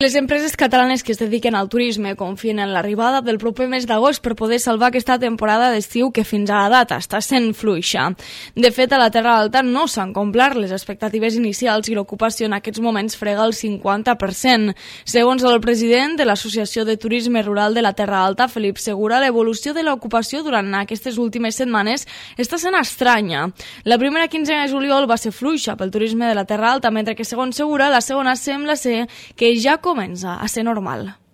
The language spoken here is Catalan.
Les empreses catalanes que es dediquen al turisme confien en l'arribada del proper mes d'agost per poder salvar aquesta temporada d'estiu que fins a la data està sent fluixa. De fet, a la Terra Alta no s'han complert les expectatives inicials i l'ocupació en aquests moments frega el 50%. Segons el president de l'Associació de Turisme Rural de la Terra Alta, Felip Segura, l'evolució de l'ocupació durant aquestes últimes setmanes està sent estranya. La primera quinzena de juliol va ser fluixa pel turisme de la Terra Alta, mentre que, segons Segura, la segona sembla ser que ja comença a ser normal.